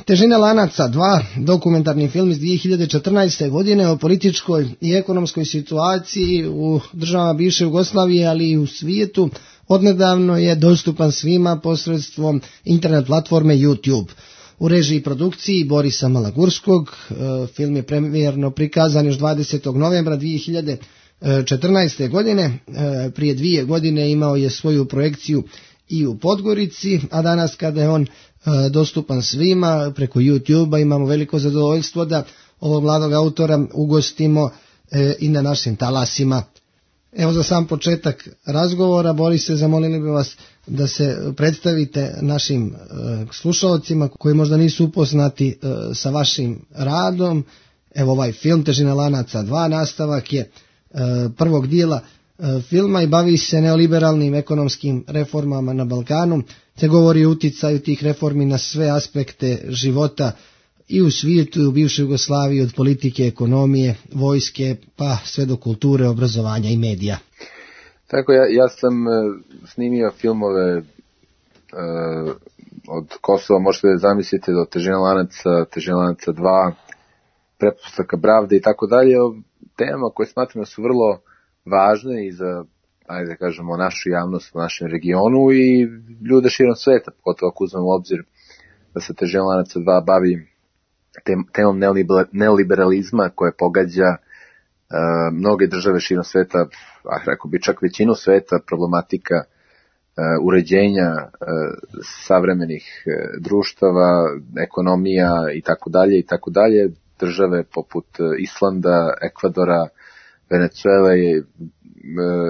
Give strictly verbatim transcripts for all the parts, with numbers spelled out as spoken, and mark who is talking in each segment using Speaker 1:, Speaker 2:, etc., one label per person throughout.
Speaker 1: Težina lanaca dva, dokumentarni film iz dvije hiljade četrnaeste. godine o političkoj i ekonomskoj situaciji u državama bivše Jugoslavije, ali i u svijetu, odnedavno je dostupan svima posredstvom internet platforme YouTube. U režiji i produkciji Borisa Malagurskog. Film je premijerno prikazan još dvadesetog novembra dvije hiljade četrnaeste. godine. Prije dvije godine imao je svoju projekciju i u Podgorici, a danas kada je on dostupan svima preko YouTube-a imamo veliko zadovoljstvo da ovog mladog autora ugostimo i na našim talasima. Evo za sam početak razgovora, Borise, zamolili bi vas da se predstavite našim slušalcima koji možda nisu upoznati sa vašim radom. Evo ovaj film Težina lanaca dva nastavak je prvog dijela filma i bavi se neoliberalnim ekonomskim reformama na Balkanu, te govori o uticaju tih reformi na sve aspekte života i u svijetu i u bivšoj Jugoslaviji, od politike, ekonomije, vojske, pa sve do kulture, obrazovanja i medija.
Speaker 2: Tako, ja, ja sam uh, snimio filmove uh, od Kosova, možete da zamislite, do Težina lanaca, Težina lanaca dva, Pretpostavka pravde i tako dalje, o temama koje smatram da su vrlo važne i za, ajde da kažemo, našu javnost u našem regionu i ljude širom sveta, pogotovo ako uzmemo u obzir da se Težina lanaca dva bavi tem, temom neoliberalizma koje pogađa uh, mnoge države širom sveta, a rekao bi čak većinu sveta, problematika uh, uređenja uh, savremenih uh, društava, ekonomija i tako dalje i tako dalje, države poput uh, Islanda, Ekvadora, Venezuele i,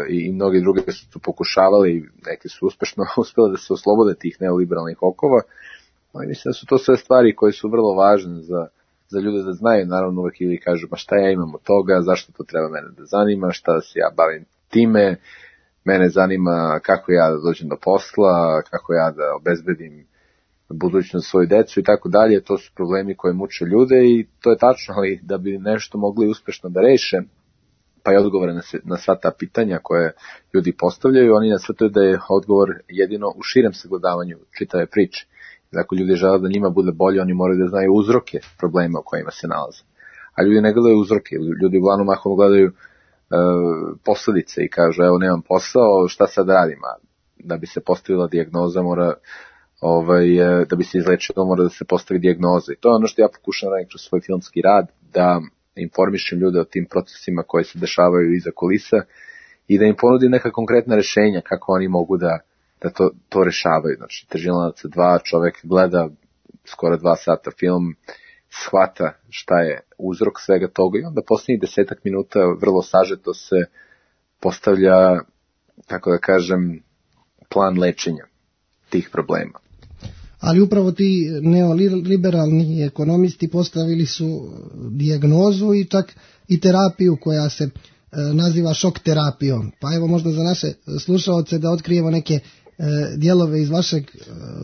Speaker 2: i mnogi drugi su pokušavali, neki su uspešno uspjeli da se oslobode tih neoliberalnih okova, ali mislim da su to sve stvari koje su vrlo važne za, za ljude da znaju, naravno uvek ili kažu, ma šta ja imam od toga, zašto to treba mene da zanima, šta se ja bavim time, mene zanima kako ja da dođem do posla, kako ja da obezbedim budućnost svoju decu i tako dalje, to su problemi koje muče ljude i to je tačno, ali da bi nešto mogli uspešno da reše, pa i odgovore na, se, na sva ta pitanja koje ljudi postavljaju, oni nasvrtaju da je odgovor jedino u širem sagledavanju čitave priče. Ako ljudi žele da njima bude bolje, oni moraju da znaju uzroke problema u kojima se nalaze. A ljudi ne gledaju uzroke, ljudi uglavnom mahom gledaju e, posledice i kažu, evo nemam posao, šta sad radim? A da bi se postavila dijagnoza mora, ovaj, da bi se izlečilo mora da se postavi dijagnoza. I to je ono što ja pokušam raditi kroz svoj filmski rad, da informišem ljude o tim procesima koji se dešavaju iza kulisa i da im ponudim neka konkretna rešenja kako oni mogu da, da to, to rešavaju. Znači, Težina lanaca dva, čovek gleda skoro dva sata film, shvata šta je uzrok svega toga i onda posljednjih desetak minuta vrlo sažeto se postavlja, tako da kažem, plan lečenja tih problema.
Speaker 1: Ali upravo ti neoliberalni ekonomisti postavili su dijagnozu i čak i terapiju koja se e, naziva šok terapijom. Pa evo možda za naše slušaoce da otkrijemo neke e, dijelove iz vašeg e,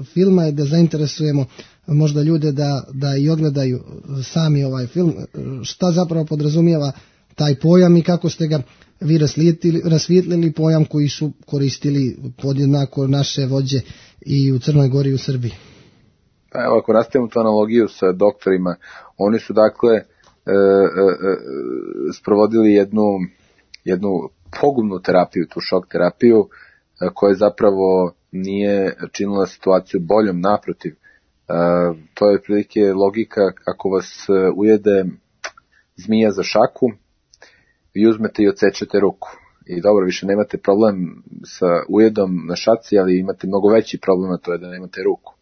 Speaker 1: filma i da zainteresujemo možda ljude da, da i ogledaju sami ovaj film. Šta zapravo podrazumijeva taj pojam i kako ste ga vi rasvijetlili pojam koji su koristili podjednako naše vođe i u Crnoj Gori i u Srbiji.
Speaker 2: Pa evo, ako nastavimo tu analogiju sa doktorima, oni su dakle e, e, e, sprovodili jednu, jednu pogubnu terapiju, tu šok terapiju, e, koja zapravo nije činila situaciju boljom, naprotiv. E, to je prilike logika kako vas ujede zmija za šaku, vi uzmete i odsečete ruku. I dobro, više nemate problem sa ujedom na šaci, ali imate mnogo veći problem, a to je da nemate ruku.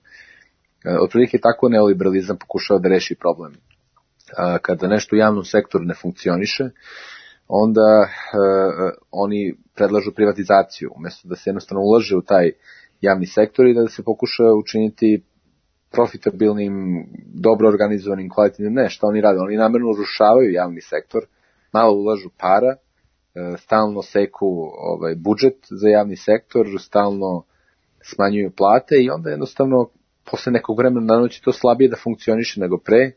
Speaker 2: Otprilike tako neoliberalizam pokušava da reši problem. Kada nešto u javnom sektoru ne funkcioniše, onda uh, oni predlažu privatizaciju, umjesto da se jednostavno ulaže u taj javni sektor i da se pokuša učiniti profitabilnim, dobro organizovanim, kvalitetnim. Ne, šta oni rade? Oni namjerno urušavaju javni sektor, malo ulažu para, stalno seku ovaj, budžet za javni sektor, stalno smanjuju plate i onda jednostavno posle nekog vremena na noći to slabije da funkcioniše nego pre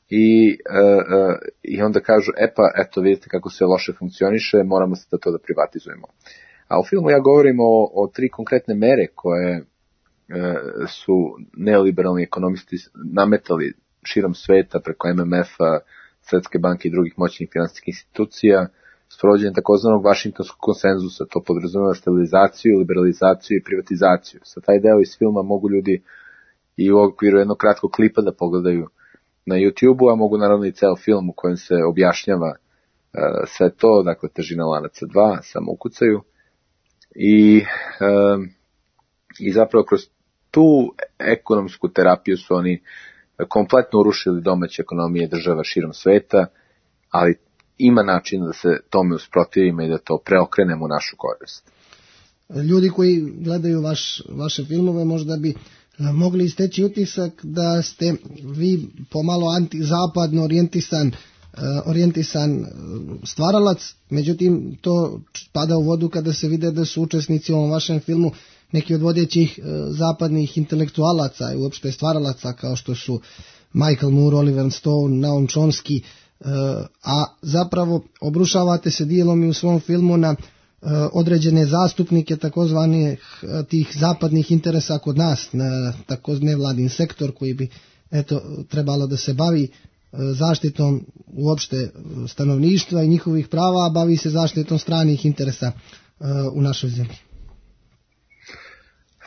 Speaker 2: i, uh, uh, i onda kažu, e pa, eto vidite kako sve loše funkcioniše, moramo se da to da privatizujemo. A u filmu ja govorim o, o tri konkretne mere koje su neoliberalni ekonomisti nametali širom sveta preko M M F-a, Svetske banke i drugih moćnih finansijskih institucija, sprovođenje takozvanog Vašingtonskog konsenzusa, to podrazumeva stabilizaciju, liberalizaciju i privatizaciju. Sa taj deo iz filma mogu ljudi i u okviru jednog kratkog klipa da pogledaju na YouTube-u, a mogu naravno i ceo film u kojem se objašnjava uh, sve to, dakle Težina lanaca dva, samo ukucaju. I, um, I zapravo kroz tu ekonomsku terapiju su oni kompletno urušili domaće ekonomije država širom sveta, ali ima način da se tome usprotivimo i da to preokrenemo u našu korist.
Speaker 1: Ljudi koji gledaju vaš, vaše filmove možda bi mogli steći utisak da ste vi pomalo antizapadno orijentisan, orijentisan stvaralac, međutim to pada u vodu kada se vide da su učesnici u ovom vašem filmu neki od vodećih zapadnih intelektualaca i uopšte stvaralaca kao što su Michael Moore, Oliver Stone, Noam Chomsky, a zapravo obrušavate se dijelom i u svom filmu na određene zastupnike takozvanih tih zapadnih interesa kod nas, na takozvani nevladin sektor koji bi eto trebalo da se bavi zaštitom uopšte stanovništva i njihovih prava, a bavi se zaštitom stranih interesa u našoj zemlji.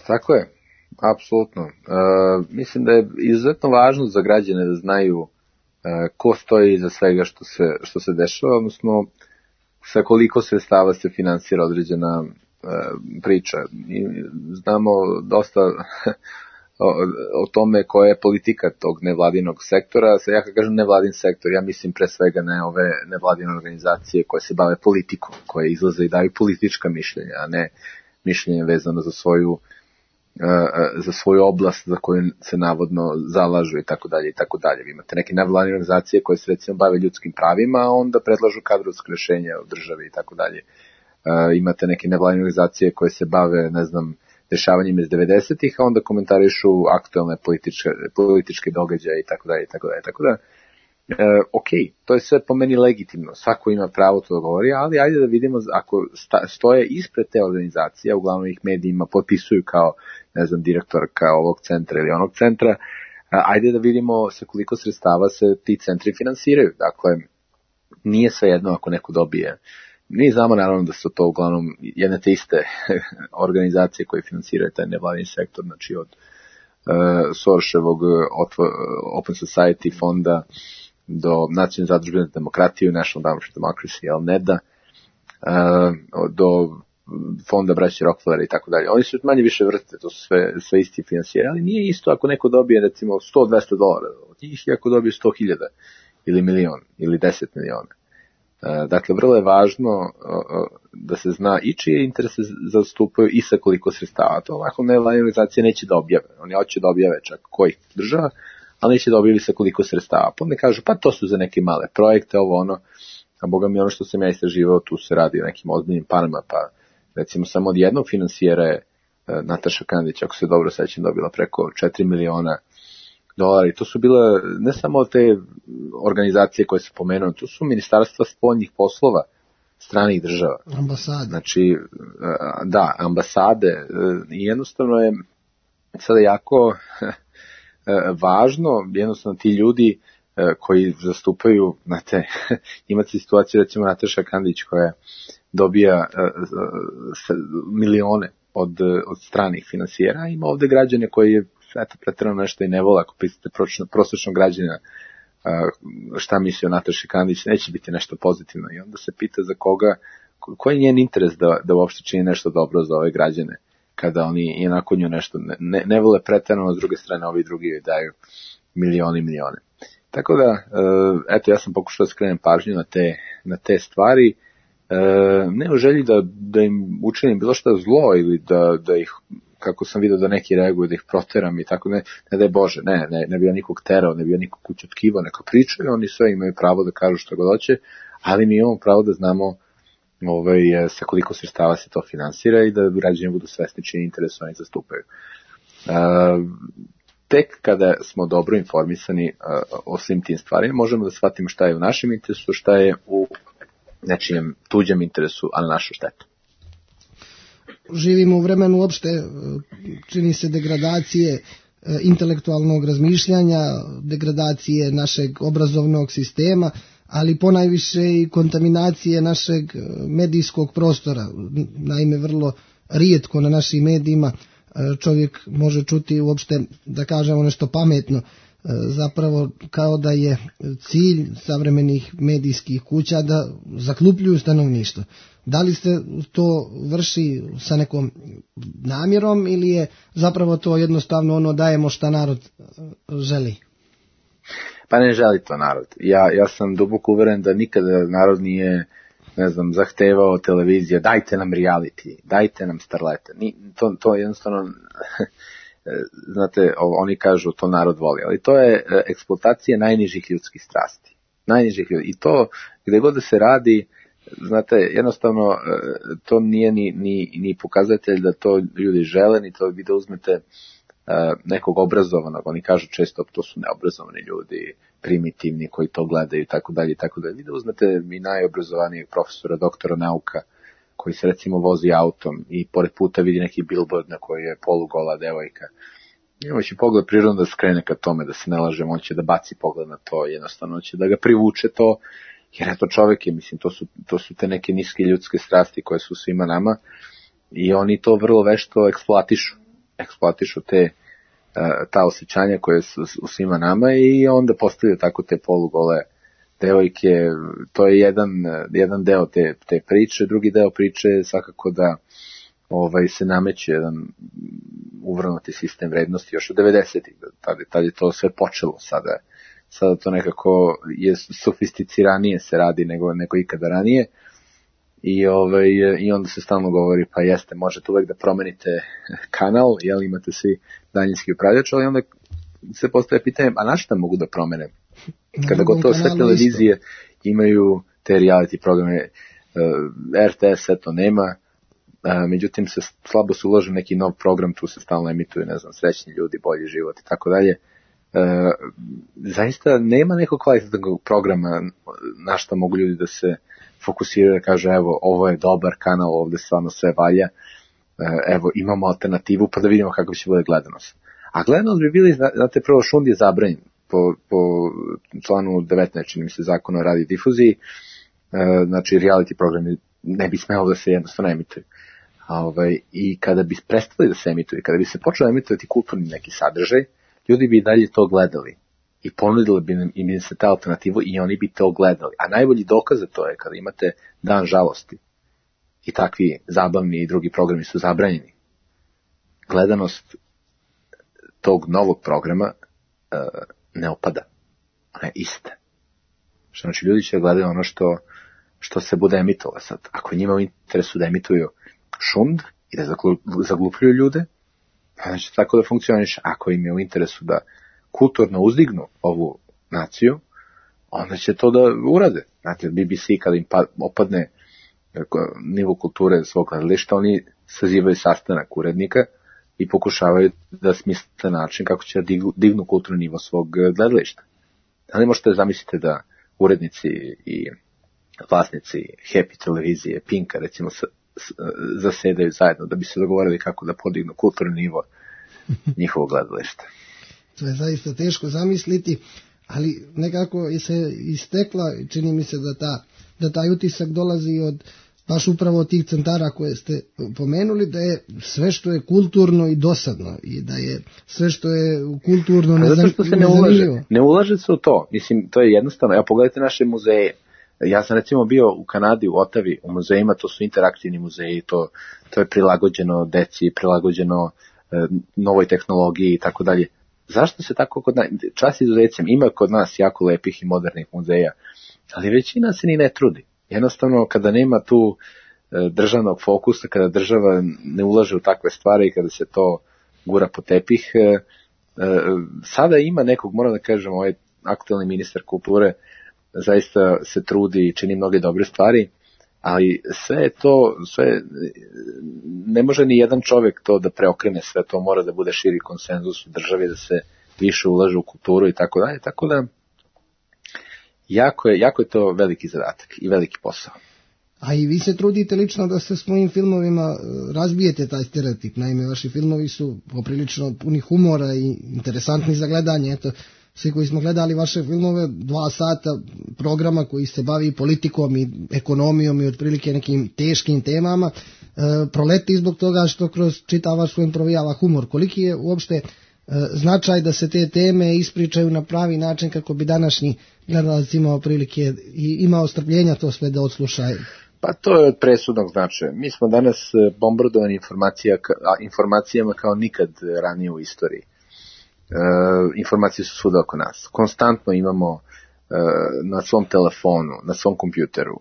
Speaker 2: Tako je, apsolutno. E, mislim da je izuzetno važno za građane da znaju e, ko stoji iza svega što se, što se dešava, odnosno sa koliko sredstava se finansira određena e, priča. I znamo dosta o, o tome koja je politika tog nevladinog sektora. Sa ja kad kažem nevladin sektor, ja mislim pre svega na ove nevladine organizacije koje se bave politikom, koje izlaze i daju politička mišljenja, a ne mišljenje vezano za svoju za svoju oblast za koju se navodno zalažu i tako dalje i tako dalje. Vi imate neke nevladine organizacije koje se recimo bave ljudskim pravima, a onda predlažu kadrovske rješenja u državi i tako dalje. Imate neke nevladine organizacije koje se bave, ne znam, dešavanjima iz devedesetih, a onda komentarišu aktualne političke, političke događaje i tako dalje i tako dalje. Tako da, e, ok, to je sve po meni legitimno, svako ima pravo to da govori, ali ajde da vidimo ako sta, stoje ispred te organizacije, uglavnom ih medijima potpisuju kao, ne znam, direktorka ovog centra ili onog centra, ajde da vidimo sa koliko sredstava se ti centri finansiraju. Dakle, nije svejedno ako neko dobije. Mi znamo naravno da su to uglavnom jedne te iste organizacije koje finansiraju taj nevladini sektor, znači od uh, Sorosevog Open Society fonda do Nacionalne zadružbe za demokratiju, National Endowment for Democracy, N E D A, uh, do fonda braće Rockefeller i tako dalje. Oni su manje više vrste, to su sve, sve isti finansijeri, ali nije isto ako neko dobije recimo sto do dvesta dolara od njih i ako dobije sto hiljada ili milion ili deset miliona. Dakle, vrlo je važno da se zna i čije interese zastupaju i sa koliko sredstava. To ovako nevladine organizacije neće da objave. Oni hoće da objave čak kojih država, ali neće da objavi sa koliko sredstava. Pa onda kažu, pa to su za neke male projekte, ovo ono, a boga mi ono što sam ja istraživao, tu se radi o nekim ozbiljnim parama, pa recimo samo od jednog finansijera je Nataša Kandić, ako se dobro sećam, dobila preko četiri miliona dolara. I to su bile ne samo te organizacije koje se pomenuo, to su ministarstva spoljnih poslova stranih država.
Speaker 1: Ambasade.
Speaker 2: Znači, da, ambasade. I jednostavno je sada jako važno, jednostavno ti ljudi koji zastupaju, znate, imate situaciju, recimo Nataša Kandić koja dobija milione od, od stranih finansijera, ima ovde građane koji je eto, pretjerano nešto i ne vole, ako pitate prosječnog građana šta misli o Nataši Kandić, neće biti nešto pozitivno i onda se pita za koga, koji je njen interes da, da uopšte čini nešto dobro za ove građane, kada oni i onako nju nešto ne, ne vole pretjerano, s druge strane ovi drugi daju milioni i milione. Tako da, eto, ja sam pokušao da skrenem pažnju na te, na te stvari, ne u želji da, da im učinim bilo šta zlo ili da, da ih, kako sam vidio da neki reaguju, da ih proteram i tako, ne, ne daj Bože, ne, ne, ne bi ja nikog terao, ne bi ja nikog kućotkivao, neka pričaju, oni sve imaju pravo da kažu što god hoće, ali mi imamo pravo da znamo ovaj, sa koliko sredstava se to finansira i da građani budu svesni čini interes oni zastupaju. Uh, tek kada smo dobro informisani uh, o svim tim stvarima, možemo da shvatimo šta je u našem interesu, šta je u nečijem tuđem interesu, a na našu štetu.
Speaker 1: živimo u vremenu uopšte, čini se, degradacije intelektualnog razmišljanja, degradacije našeg obrazovnog sistema, ali ponajviše i kontaminacije našeg medijskog prostora. Naime, vrlo rijetko na našim medijima čovjek može čuti uopšte, da kažemo, nešto pametno. Zapravo kao da je cilj savremenih medijskih kuća da zaklupljuju stanovništvo. Da li se to vrši sa nekom namjerom ili je zapravo to jednostavno ono dajemo šta narod želi?
Speaker 2: Pa ne želi to narod. Ja, ja sam duboko uveren da nikada narod nije, ne znam, zahtevao televizija, dajte nam reality, dajte nam starlete. Ni, to, to jednostavno, znate, oni kažu to narod voli, ali to je eksploatacija najnižih ljudskih strasti. Najnižih ljudi. I to, gde god da se radi, znate, jednostavno, to nije ni, ni, ni pokazatelj da to ljudi žele, ni to vi da uzmete nekog obrazovanog, oni kažu često to su neobrazovani ljudi, primitivni koji to gledaju i tako dalje i tako dalje. Vi da uzmete i najobrazovanijeg profesora, doktora nauka, koji se recimo vozi autom i pored puta vidi neki billboard na koji je polugola devojka. Imajući pogled prirodno da skrene ka tome, da se ne lažemo, on će da baci pogled na to, jednostavno će da ga privuče to, jer eto čovjek je, mislim, to su, to su te neke niske ljudske strasti koje su svima nama i oni to vrlo vešto eksploatišu. eksploatišu te, ta osjećanja koje su u svima nama i onda postavljaju tako te polugole devojke. To je jedan, jedan deo te, te priče, drugi deo priče je svakako da ovaj, se nameće jedan uvrnuti sistem vrednosti još od devedesetih, tad, tad je to sve počelo, sada, sada to nekako je sofisticiranije se radi nego, nego ikada ranije. I, ovaj, I onda se stalno govori, pa jeste, možete uvek da promenite kanal, jel imate svi daljinski upravljač, ali onda se postavlja pitanje, a na šta mogu da promene? Kada gotovo sve televizije isto imaju te reality programe, R T S eto nema, međutim se slabo se uloži neki nov program, tu se stalno emituju, ne znam, srećni ljudi, bolji život i tako dalje. Zaista nema nekog kvalitetnog programa na šta mogu ljudi da se fokusiraju, da kaže evo ovo je dobar kanal, ovde stvarno sve valja, evo imamo alternativu pa da vidimo kako će bude gledanost. A gledanost bi bili, znate, prvo šund je zabranjen po, po članu devetnaest, čini mi se, zakona o radiodifuziji, znači reality programi ne bi smelo da se jednostavno emituju. A ovaj, i kada bi prestali da se emituju, kada bi se počeli emitovati kulturni neki sadržaj, ljudi bi i dalje to gledali i ponudili bi im, im se ta alternativu i oni bi to gledali. A najbolji dokaz za to je kada imate Dan žalosti i takvi zabavni i drugi programi su zabranjeni. Gledanost tog novog programa uh, ne opada. Ona je ista. Znači ljudi će gledati ono što, što se bude emitovalo sad. Ako njima u interesu da emituju šund i da zaglupljuju ljude, znači tako da funkcioniš. Ako im je u interesu da kulturno uzdignu ovu naciju, onda će to da urade. Znate, B B C kada im opadne nivo kulture svog gledališta, oni sazivaju sastanak urednika i pokušavaju da smisle način kako će da dignu, dignu kulturni nivo svog gledališta. Da li možete zamisliti da urednici i vlasnici Happy televizije, Pinka, recimo, zasedaju zajedno da bi se dogovorili kako da podignu kulturni nivo njihovog gledališta?
Speaker 1: To je zaista teško zamisliti, ali nekako je se istekla, čini mi se da, ta, da taj utisak dolazi od baš upravo od tih centara koje ste pomenuli, da je sve što je kulturno i dosadno i da je sve što je kulturno nezanimljivo. Zato što se ne ulaže,
Speaker 2: ne ulaže se u to, mislim, to je jednostavno, ja pogledajte naše muzeje. Ja sam recimo bio u Kanadi, u Otavi, u muzejima, to su interaktivni muzeji, to, to je prilagođeno deci, prilagođeno e, novoj tehnologiji i tako dalje. Zašto se tako kod nas, čast izuzecem, ima kod nas jako lepih i modernih muzeja, ali većina se ni ne trudi. Jednostavno, kada nema tu e, državnog fokusa, kada država ne ulaže u takve stvari i kada se to gura po tepih, e, e, sada ima nekog, moram da kažem, ovaj aktualni ministar kulture zaista se trudi i čini mnoge dobre stvari, ali sve to, sve, ne može ni jedan čovjek to da preokrene sve, to mora da bude širi konsenzus u državi, da se više ulaže u kulturu i tako dalje, tako da jako je, jako je to veliki zadatak i veliki posao.
Speaker 1: A i vi se trudite lično da se svojim filmovima razbijete taj stereotip. Naime, vaši filmovi su poprilično puni humora i interesantni za gledanje. Eto, svi koji smo gledali vaše filmove, dva sata programa koji se bavi politikom i ekonomijom i otprilike nekim teškim temama, e, proleti zbog toga što kroz čitav vaš film provijava humor. Koliki je uopšte e, značaj da se te teme ispričaju na pravi način kako bi današnji gledalac imao prilike i imao strpljenja to sve da odslušaju?
Speaker 2: Pa to je od presudnog značaja. Mi smo danas bombardovani informacija, informacijama kao nikad ranije u istoriji. E, informacije su svuda oko nas. Konstantno imamo e, na svom telefonu, na svom kompjuteru,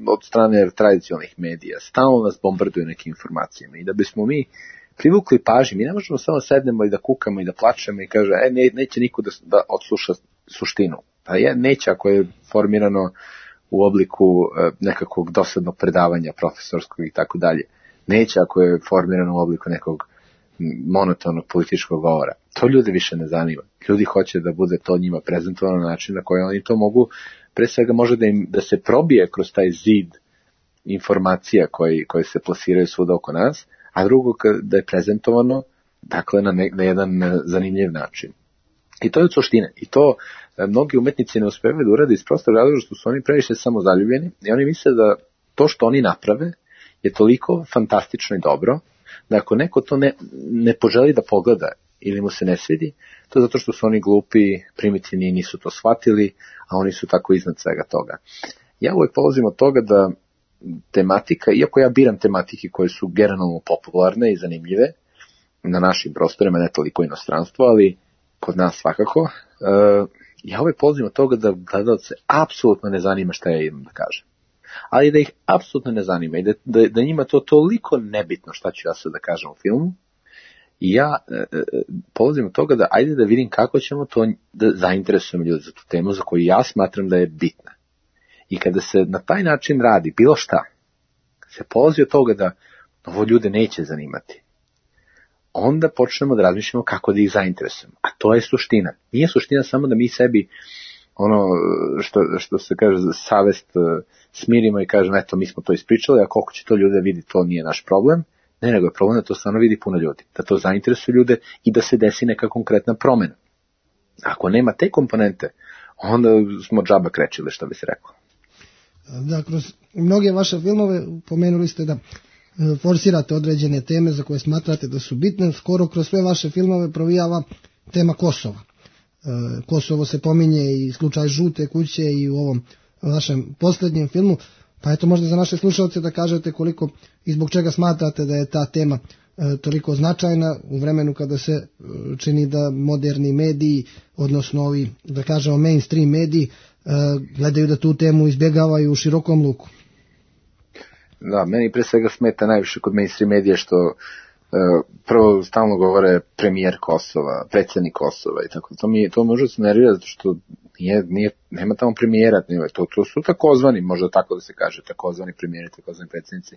Speaker 2: od strane tradicionalnih medija, stalno nas bombarduju nekim informacijama. I da bismo mi privukli pažnju, mi ne možemo samo sednemo i da kukamo i da plačemo i kaže, e, ne, neće niko da, da odsluša suštinu. Pa je, neće ako je formirano u obliku nekakvog dosadnog predavanja profesorskog i tako dalje. Neće ako je formirano u obliku nekog monotonog političkog govora. To ljude više ne zanima. Ljudi hoće da bude to njima prezentovano na način na koji oni to mogu, pre svega može da, im, da se probije kroz taj zid informacija koji, koji se plasiraju svuda oko nas, a drugo da je prezentovano dakle na, ne, na jedan zanimljiv način. I to je od suštine. I to mnogi umetnici ne uspevaju da urade iz prostog razloga što su oni previše samozaljubljeni i oni misle da to što oni naprave je toliko fantastično i dobro da ako neko to ne, ne poželi da pogleda ili mu se ne svidi, to je zato što su oni glupi, primitivni i nisu to shvatili, a oni su tako iznad svega toga. Ja uvijek polazim od toga da tematika, iako ja biram tematike koje su generalno popularne i zanimljive na našim prostorima, ne toliko inostranstvo, ali kod nas svakako, uh, ja uvijek polazim od toga da gledalce apsolutno ne zanima šta ja idem da kažem. Ali da ih apsolutno ne zanima i da, da, da njima to toliko nebitno šta ću ja sad da kažem u filmu. I ja uh, polazim od toga da ajde da vidim kako ćemo to da zainteresujemo ljudi za tu temu za koju ja smatram da je bitna. I kada se na taj način radi bilo šta, se polazi od toga da ovo ljude neće zanimati, onda počnemo da razmišljamo kako da ih zainteresujemo. A to je suština. Nije suština samo da mi sebi ono što, što se kaže savest smirimo i kažemo eto mi smo to ispričali, a koliko će to ljude vidi, to nije naš problem. Ne, nego je problem da to stvarno vidi puno ljudi, da to zainteresuje ljude i da se desi neka konkretna promjena. Ako nema te komponente, onda smo džaba krečili, što bi se reklo.
Speaker 1: Da, kroz mnoge vaše filmove pomenuli ste da forsirate određene teme za koje smatrate da su bitne. Skoro kroz sve vaše filmove provijava tema Kosova. Kosovo se pominje i slučaj Žute kuće i u ovom vašem posljednjem filmu. Pa eto možda za naše slušalce da kažete koliko i zbog čega smatrate da je ta tema toliko značajna u vremenu kada se čini da moderni mediji, odnosno ovi, da kažemo mainstream mediji, gledaju da tu temu izbjegavaju u širokom luku.
Speaker 2: Da, meni pre svega smeta najviše kod mainstream medija što uh, prvo stalno govore premijer Kosova, predsjednik Kosova i tako. To mi to može se nervira zato što nije, nije, nema tamo premijera, to, to su takozvani, možda tako da se kaže, takozvani premijeri, takozvani predsjednici.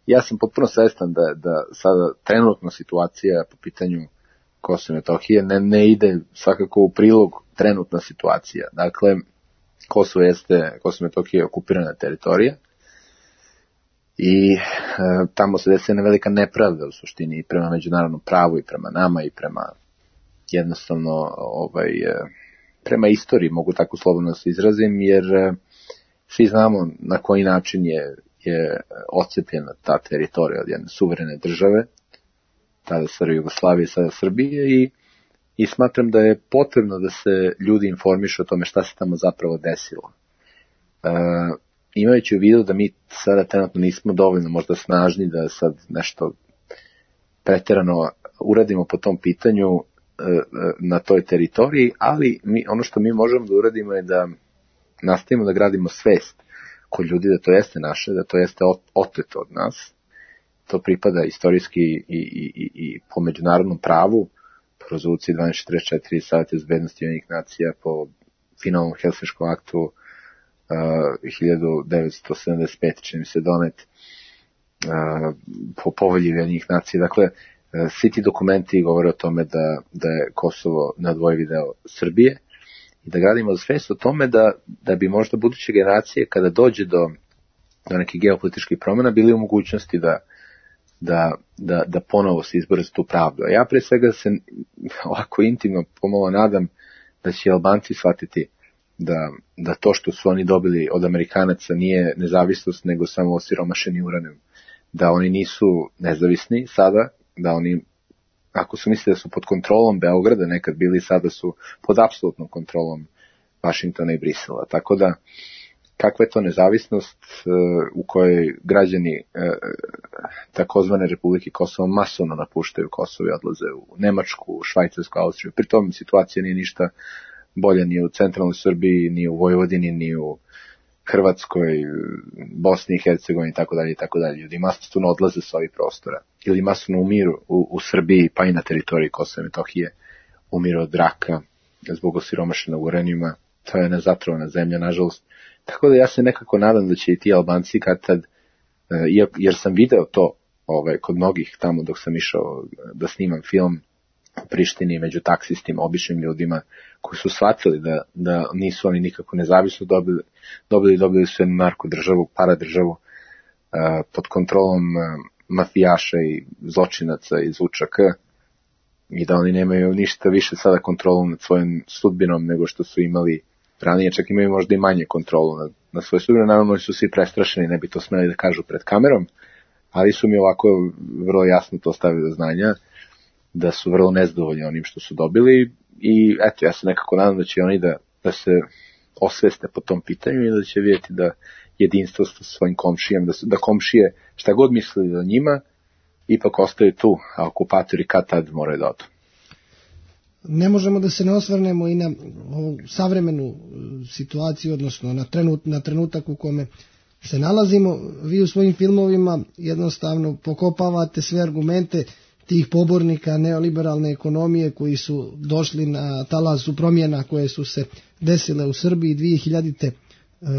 Speaker 2: Ja sam potpuno svestan da, da sada trenutna situacija po pitanju Kosova i Metohije ne, ne ide svakako u prilog trenutna situacija. Dakle, Kosovo jeste, Kosovo i Metohija je okupirana teritorija i e, tamo se desi jedna velika nepravda u suštini i prema međunarodnom pravu i prema nama i prema jednostavno ovaj, e, prema istoriji, mogu tako slobodno se izrazim, jer e, svi znamo na koji način je, je odcepljena ta teritorija od jedne suverene države, tada stare Jugoslavije, sada Srbije i I smatram da je potrebno da se ljudi informišu o tome šta se tamo zapravo desilo. E, imajući u vidu da mi sada trenutno nismo dovoljno možda snažni da sad nešto preterano uradimo po tom pitanju e, na toj teritoriji, ali mi, ono što mi možemo da uradimo je da nastavimo da gradimo svest kod ljudi da to jeste naše, da to jeste oteto od nas. To pripada istorijski i, i, i, i po međunarodnom pravu, po rezoluciji dvanaest četrdeset četiri Saveta bezbednosti Ujedinjenih nacija, po finalnom Helsinškom aktu uh, hiljadu devetsto sedamdeset pete čini mi se donet, uh, po povelji Ujedinjenih nacija. Dakle, uh, svi ti dokumenti govore o tome da, da je Kosovo neodvojivi deo Srbije i da gradimo svest o tome da, da bi možda buduće generacije kada dođe do do nekih geopolitičkih promjena, bili u mogućnosti da, da, da, da ponovo se izbore za tu pravdu. A ja pre svega se ovako intimno pomalo nadam da će Albanci shvatiti da, da to što su oni dobili od Amerikanaca nije nezavisnost, nego samo osiromašeni uranijum. Da oni nisu nezavisni sada, da oni, ako su mislili da su pod kontrolom Beograda, nekad bili, sada su pod apsolutnom kontrolom Vašingtona i Brisela. Tako da, kakva je to nezavisnost uh, u kojoj građani uh, takozvane Republike Kosovo masovno napuštaju Kosovo i odlaze u Nemačku, u Švajcarsku, Austriju. Pri tom situacija nije ništa bolja ni u centralnoj Srbiji, ni u Vojvodini, ni u Hrvatskoj, Bosni i Hercegovini, tako dalje i tako dalje. Ljudi masovno odlaze sa ovih prostora. Ili masovno umiru u, u Srbiji, pa i na teritoriji Kosova i Metohije, umiru od raka zbog osiromašenog uranijuma. To je nezatrovana zemlja, nažalost. Tako da ja se nekako nadam da će i ti Albanci kad tad, jer sam video to ovaj, kod mnogih tamo dok sam išao da snimam film u Prištini među taksistima, običnim ljudima koji su shvatili da, da nisu oni nikako nezavisno dobili, dobili, dobili su jednu narko državu, paradržavu pod kontrolom mafijaša i zločinaca iz U Č K i da oni nemaju ništa više sada kontrolu nad svojom sudbinom nego što su imali ranije, čak imaju možda i manje kontrolu nad, nad svoje sudbine. Naravno, oni su svi prestrašeni, ne bi to smeli da kažu pred kamerom, ali su mi ovako vrlo jasno to stavili do znanja, da su vrlo nezadovoljni onim što su dobili i eto, ja se nekako nadam da će oni da, da se osveste po tom pitanju i da će vidjeti da jedinstvo sa svojim komšijem, da, su, da komšije šta god mislili o njima, ipak ostaju tu, a okupatori kad tad moraju da odu.
Speaker 1: Ne možemo da se ne osvrnemo i na ovu savremenu situaciju, odnosno na, trenut, na trenutak u kome se nalazimo. Vi u svojim filmovima jednostavno pokopavate sve argumente tih pobornika neoliberalne ekonomije koji su došli na talasu promjena koje su se desile u Srbiji dvije hiljadite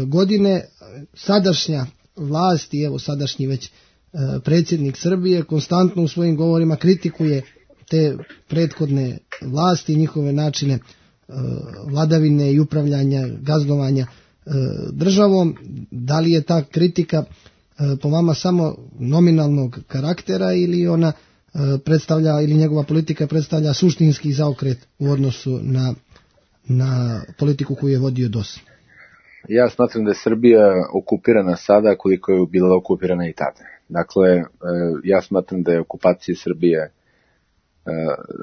Speaker 1: godine. Sadašnja vlast i evo sadašnji već predsjednik Srbije konstantno u svojim govorima kritikuje te prethodne vlasti, njihove načine vladavine i upravljanja, gazdovanja državom. Da li je ta kritika po vama samo nominalnog karaktera ili ona predstavlja, ili njegova politika predstavlja suštinski zaokret u odnosu na, na politiku koju je vodio D O S?
Speaker 2: Ja smatram da je Srbija okupirana sada koliko je bila okupirana i tada. Dakle, ja smatram da je okupacija Srbije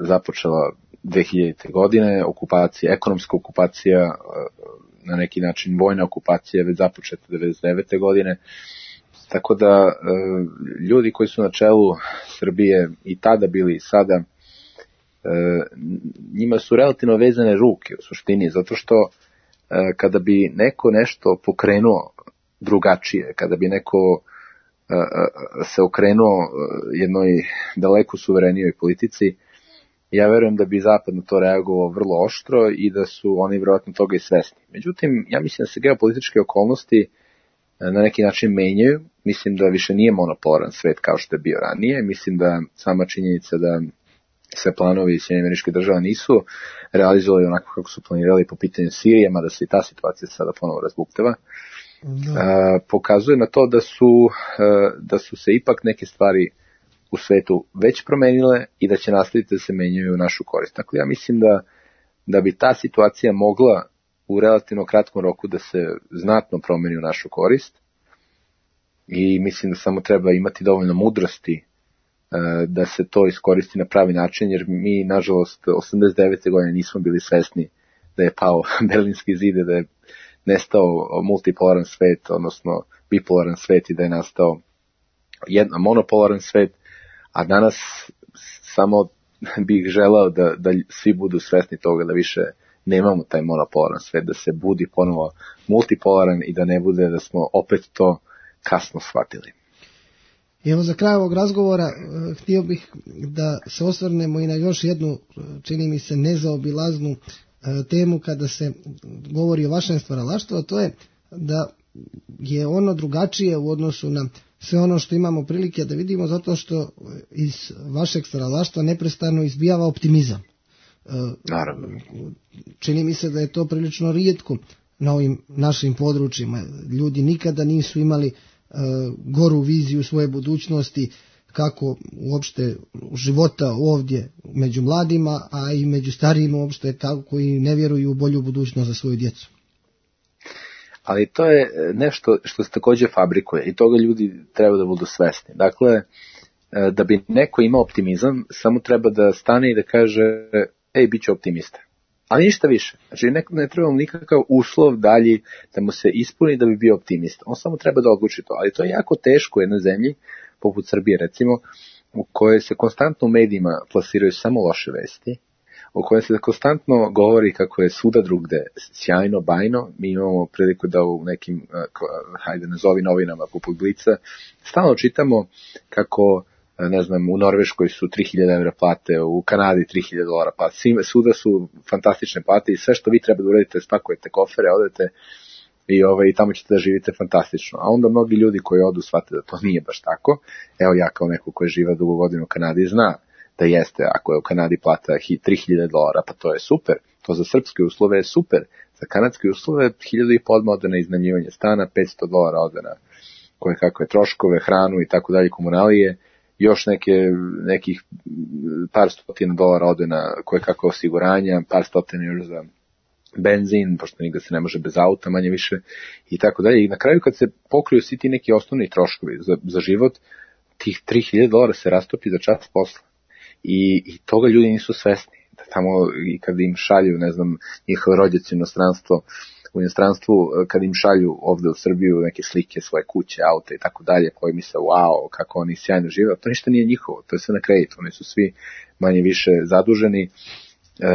Speaker 2: započela dve hiljadite godine, okupacija, ekonomska okupacija, na neki način vojna okupacija je već započeta devedeset devete godine. Tako da ljudi koji su na čelu Srbije i tada bili i sada, njima su relativno vezane ruke u suštini, zato što kada bi neko nešto pokrenuo drugačije, kada bi neko se okrenuo jednoj daleko suverenijoj politici, ja verujem da bi Zapad na to reagovao vrlo oštro i da su oni vjerojatno toga i svesni. Međutim, ja mislim da se geopolitičke okolnosti na neki način menjaju. Mislim da više nije monopolaran svet kao što je bio ranije. Mislim da sama činjenica da sve planovi Sjedinjenih Američkih Država nisu realizovali onako kako su planirali po pitanju Sirije, mada se i ta situacija sada ponovo razbuktava, da. pokazuje na to da su, da su se ipak neke stvari u svetu već promenile i da će nastaviti da se menjaju u našu korist. Dakle, ja mislim da, da bi ta situacija mogla u relativno kratkom roku da se znatno promeni u našu korist i mislim da samo treba imati dovoljno mudrosti da se to iskoristi na pravi način, jer mi, nažalost, osamdeset devete godine nismo bili svesni da je pao Berlinski zid, da je nestao multipolaran svet, odnosno bipolaran svet i da je nastao jedna monopolaran svet, a danas samo bih želao da, da svi budu svesni toga da više nemamo taj monopolaran svet, da se budi ponovo multipolaran i da ne bude da smo opet to kasno shvatili.
Speaker 1: Evo za kraj ovog razgovora uh, htio bih da se osvrnemo i na još jednu, čini mi se, nezaobilaznu uh, temu kada se govori o vašem stvaralaštvu, a to je da je ono drugačije u odnosu na sve ono što imamo prilike da vidimo, zato što iz vašeg stvaralaštva neprestano izbijava optimizam. Uh,
Speaker 2: Naravno.
Speaker 1: Čini mi se da je to prilično rijetko na ovim našim područjima. Ljudi nikada nisu imali goru viziju svoje budućnosti, kako uopšte života ovdje među mladima, a i među starijima uopšte, kako koji ne vjeruju u bolju budućnost za svoju djecu.
Speaker 2: Ali to je nešto što se također fabrikuje i toga ljudi treba da budu svesni. Dakle, da bi neko imao optimizam, samo treba da stane i da kaže, ej, bit ću optimista. Ali ništa više. Znači, ne, ne treba mu nikakav uslov dalji da mu se ispuni da bi bio optimista. On samo treba da odluči to. Ali to je jako teško u jednoj zemlji, poput Srbije recimo, u kojoj se konstantno u medijima plasiraju samo loše vesti, u kojoj se konstantno govori kako je svuda drugde sjajno, bajno. Mi imamo priliku da u nekim, hajde nazovi novinama poput Blica, stalno čitamo kako, ne znam, u Norveškoj su tri hiljade evra plate, u Kanadi tri hiljade dolara plate, svuda su fantastične plate i sve što vi treba da uradite, spakujete kofere, odete i, ovaj, i tamo ćete da živite fantastično. A onda mnogi ljudi koji odu shvate da to nije baš tako. Evo ja kao neko koji živa dugo godinu u Kanadi zna da jeste, ako je u Kanadi plata tri hiljade dolara, pa to je super. To za srpske uslove je super. Za kanadske uslove hiljadu i po odmah ode na iznajmljivanje stana, petsto dolara ode na koje kakve troškove, hranu i tako dalje, komunalije. Još neke, nekih par stotina dolara ode na koje kakve osiguranja, par stotina još za benzin, pošto nigde se ne može bez auta, manje više, i tako dalje. I na kraju kad se pokriju svi ti neki osnovni troškovi za, za život, tih tri hiljade dolara se rastopi za čas posla. I, i toga ljudi nisu svesni. Da tamo i kad im šalju, ne znam, njihove rođaci u inostranstvo, u inostranstvu, kad im šalju ovde u Srbiju neke slike, svoje kuće, auta i tako dalje, koji misle, wow, kako oni sjajno žive, to ništa nije njihovo, to je sve na kreditu, oni su svi manje više zaduženi. E,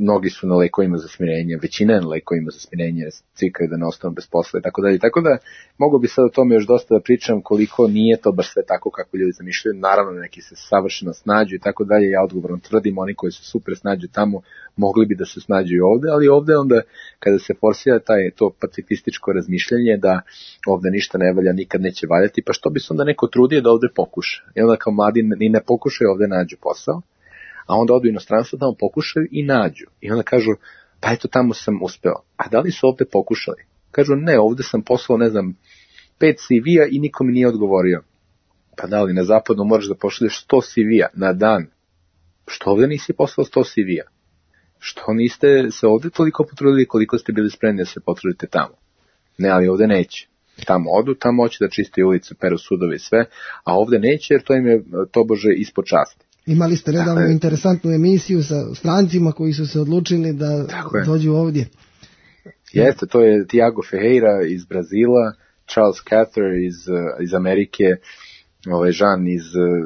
Speaker 2: mnogi su na lekovima za smirenje, većina je na lekovima za smirenje, cikaju da ne ostanu bez posla i tako dalje. Tako da mogu bi sad o tome još dosta da pričam koliko nije to baš sve tako kako ljudi zamišljaju. Naravno neki se savršeno snađu i tako dalje. Ja odgovorno tvrdim, oni koji se super snađu tamo mogli bi da se snađu i ovde, ali ovde onda kada se forsira taj, to pacifističko razmišljanje da ovde ništa ne valja, nikad neće valjati, pa što bi se onda neko trudio da ovde pokuša? I onda kao mladi ni ne pokušaju ovde nađu posao, a onda odu u inostranstvo, tamo pokušaju i nađu. I onda kažu, pa eto tamo sam uspeo. A da li su ovde pokušali? Kažu, ne, ovde sam poslao, ne znam, pet C V-a i niko mi nije odgovorio. Pa da li na zapadu moraš da pošalješ sto C V-a na dan? Što ovde nisi poslao sto C V-a? Što niste se ovde toliko potrudili koliko ste bili spremni da se potrudite tamo? Ne, ali ovde neće. Tamo odu, tamo hoće da čiste ulice, peru sudove i sve, a ovde neće jer to im je tobože ispod časti.
Speaker 1: Imali ste nedavno dakle, interesantnu emisiju sa strancima koji su se odlučili da dođu ovdje.
Speaker 2: Jeste, to je Tiago Ferreira iz Brazila, Charles Cather iz, iz Amerike, ovaj Jean iz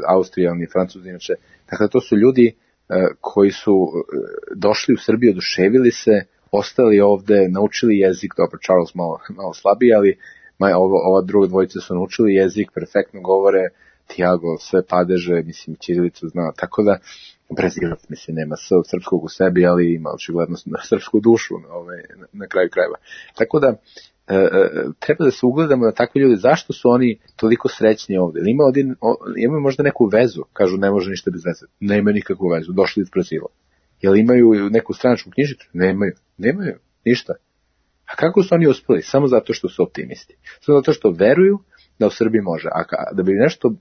Speaker 2: Austrije, on je Francuz inače. Dakle, to su ljudi uh, koji su došli u Srbiju, oduševili se, ostali ovde, naučili jezik, dobro, Charles malo, malo slabiji, ali maj, ova, ova druga dvojica su naučili jezik, perfektno govore, Tiago sve padeže, mislim, ćirilicu zna, tako da Brazilac, mislim, nema s srpskog u sebi, ali ima očigledno srpsku dušu ovaj, na, na kraju krajeva. Tako da, e, e, treba da se ugledamo na takve ljude, zašto su oni toliko srećni ovde? Ima odin, o, imaju možda neku vezu, kažu ne može ništa bez veze, ne imaju nikakvu vezu, došli iz Brazila. Jel imaju neku stranačku knjižicu? Nemaju, nemaju, ništa. A kako su oni uspeli? Samo zato što su optimisti. Samo zato što veruju da u Srbiji može. A da bi nešto,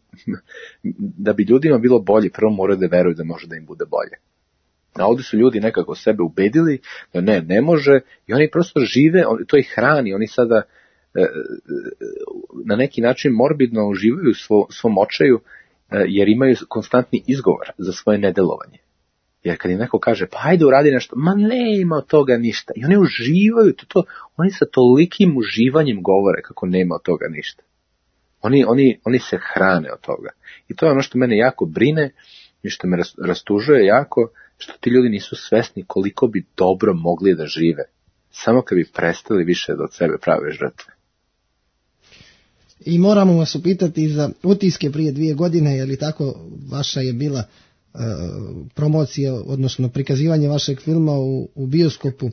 Speaker 2: da bi ljudima bilo bolje, prvo moraju da veruju da može da im bude bolje. A ovdje su ljudi nekako sebe ubedili da ne, ne može i oni prosto žive, to ih hrani, oni sada e, na neki način morbidno uživaju svo, svom očaju e, jer imaju konstantni izgovor za svoje nedelovanje. Jer kad im neko kaže, pa hajde uradi nešto, ma ne ima od toga ništa. I oni uživaju, to, to, oni sa tolikim uživanjem govore kako nema od toga ništa. Oni, oni, oni se hrane od toga. I to je ono što mene jako brine i što me rastužuje jako, što ti ljudi nisu svesni koliko bi dobro mogli da žive. Samo kad bi prestali više da od sebe prave žrtve.
Speaker 1: I moramo vas upitati za utiske prije dvije godine, je li tako vaša je bila e, promocija, odnosno prikazivanje vašeg filma u, u bioskopu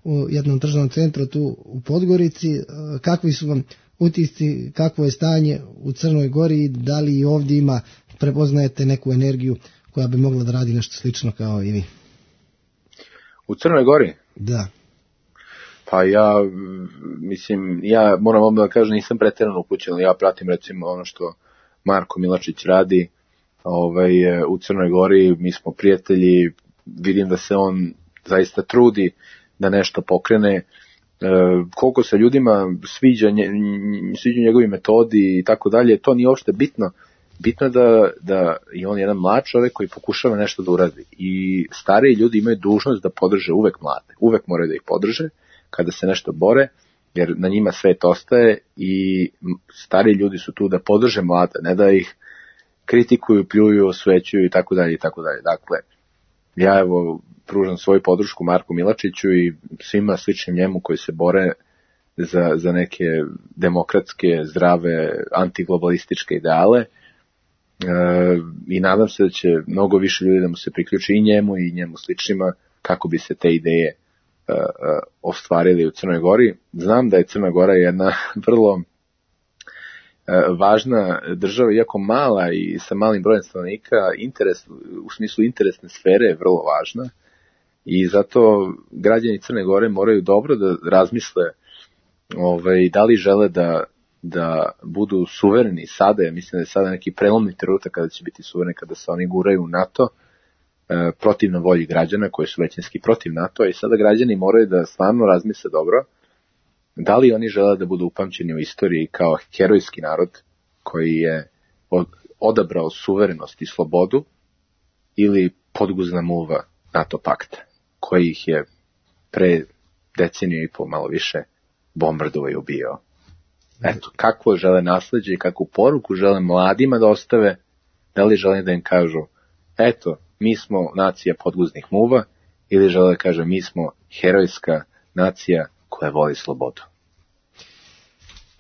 Speaker 1: u jednom tržnom centru tu u Podgorici. E, kakvi su vam utisci, kakvo je stanje u Crnoj Gori, da li i ovdje ima, prepoznajete neku energiju koja bi mogla da radi nešto slično kao i vi?
Speaker 2: U Crnoj Gori?
Speaker 1: Da.
Speaker 2: Pa Pa ja, mislim, ja moram vam da kažem, nisam pretjerano upućen, ja pratim recimo ono što Marko Milačić radi ovaj, u Crnoj Gori, mi smo prijatelji, vidim da se on zaista trudi da nešto pokrene, e, koliko se ljudima sviđa, nje, sviđa njegovi metodi i tako dalje, to nije uopšte bitno. Bitno je da, da je on jedan mlad čovjek koji pokušava nešto da uradi i stariji ljudi imaju dužnost da podrže uvek mlade, uvek moraju da ih podrže kada se nešto bore, jer na njima svet ostaje i stariji ljudi su tu da podrže mlade, ne da ih kritikuju, pljuju, osvećuju i tako dalje i tako dalje. Dakle, ja evo pružam svoju podršku Marku Milačiću i svima sličnim njemu koji se bore za, za neke demokratske, zdrave, antiglobalističke ideale. E, i nadam se da će mnogo više ljudi da mu se priključi i njemu i njemu sličnima kako bi se te ideje uh, uh, ostvarili u Crnoj Gori. Znam da je Crna Gora jedna vrlo uh, važna država, iako mala i sa malim brojem stanovnika, interes, u smislu interesne sfere je vrlo važna i zato građani Crne Gore moraju dobro da razmisle ovaj, da li žele da da budu suvereni sada, ja mislim da je sada neki prelomni trenutak kada će biti suvereni, kada se oni guraju u NATO, e, protivno volji građana koji su većinski protiv NATO, i sada građani moraju da stvarno razmisle dobro da li oni žele da budu upamćeni u istoriji kao herojski narod koji je od, odabrao suverenost i slobodu ili podguzna muva NATO pakta koji ih je pre deceniju i pol malo više bombardovao i ubijao. Eto, kakvo žele nasleđe i kakvu poruku žele mladima da ostave, da li žele da im kažu, eto, mi smo nacija podguznih muva, ili žele da kažu, mi smo herojska nacija koja voli slobodu.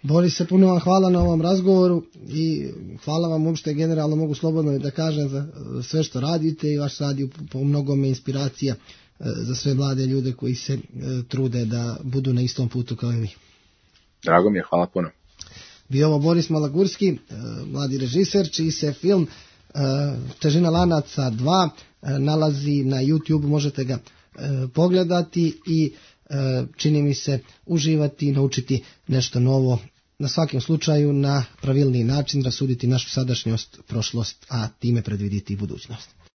Speaker 1: Borise, puno vam hvala na ovom razgovoru i hvala vam uopšte generalno, mogu slobodno da kažem, za sve što radite i vaš rad je po mnogome inspiracija za sve mlade ljude koji se trude da budu na istom putu kao i vi.
Speaker 2: Drago mi je, hvala puno.
Speaker 1: Bio ovo Boris Malagurski, mladi režiser, čiji se film Težina lanaca dva nalazi na YouTube, možete ga pogledati i čini mi se uživati i naučiti nešto novo, na svakom slučaju na pravilniji način rasuditi našu sadašnjost, prošlost, a time predviditi budućnost.